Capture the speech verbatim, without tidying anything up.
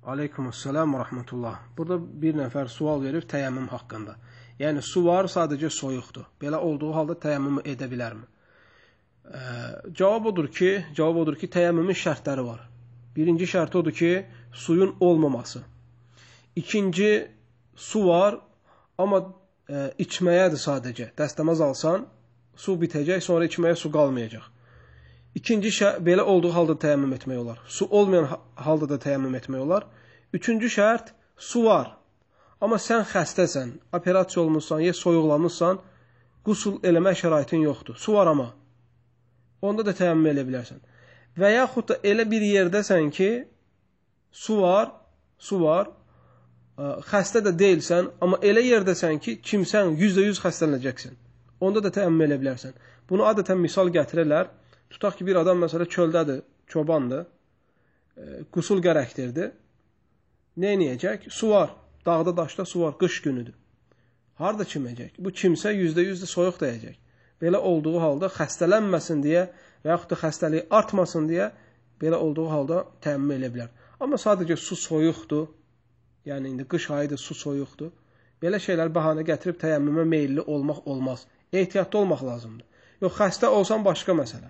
Aleykümselam və rəhmətullah. Burada bir nəfər sual verib təyəmmüm haqqında. Yəni, su var, sadəcə soyuqdur. Belə olduğu halda təyəmmümü edə bilərmi? Ee, cavab odur ki, cavab odur ki, təyəmmümün şərtləri var. Birinci şərt odur ki, suyun olmaması. İkinci, su var, amma e, içməyədir sadəcə. Dəstəmaz alsan, su bitəcək, sonra içməyə su qalmayacaq. İkinci şərt, belə olduğu halda təyəmmüm etmək olar. Su olmayan halda da təyəmmüm etmək olar. Üçüncü şərt, su var. Amma sən xəstəsən, operasiya olmuşsan, ya soyuqlanmışsan, qusul eləmək şəraitin yoxdur. Su var amma. Onda da təyəmmüm elə bilərsən. Və yaxud da elə bir yerdəsən ki, su var, su var, xəstə də deyilsən, amma elə yerdəsən ki, kimsən yüzdə yüz xəstələnəcəksən. Onda da təyəmmüm elə bilərsən. Bunu adətən misal gətirirlər. Tutaq ki, bir adam məsələ çöldədir, çobandır, e, qusul gərəkdirdi. Nə edəcək? Su var, dağda daşda su var, qış günüdür. Harada çiməcək? Bu kimsə yüzdə yüz soyuq dəyəcək. Belə olduğu halda xəstələnməsin deyə və yaxud da xəstəliyi artmasın deyə belə olduğu halda təyəmmüm elə bilər. Amma sadəcə su soyuqdur, yəni indi qış ayıdır, su soyuqdur. Belə şeylər bəhanə gətirib təyəmmümə meyilli olmaq olmaz. Ehtiyatlı olmaq lazımdır. Yox, xəstə olsan başqa məsələ.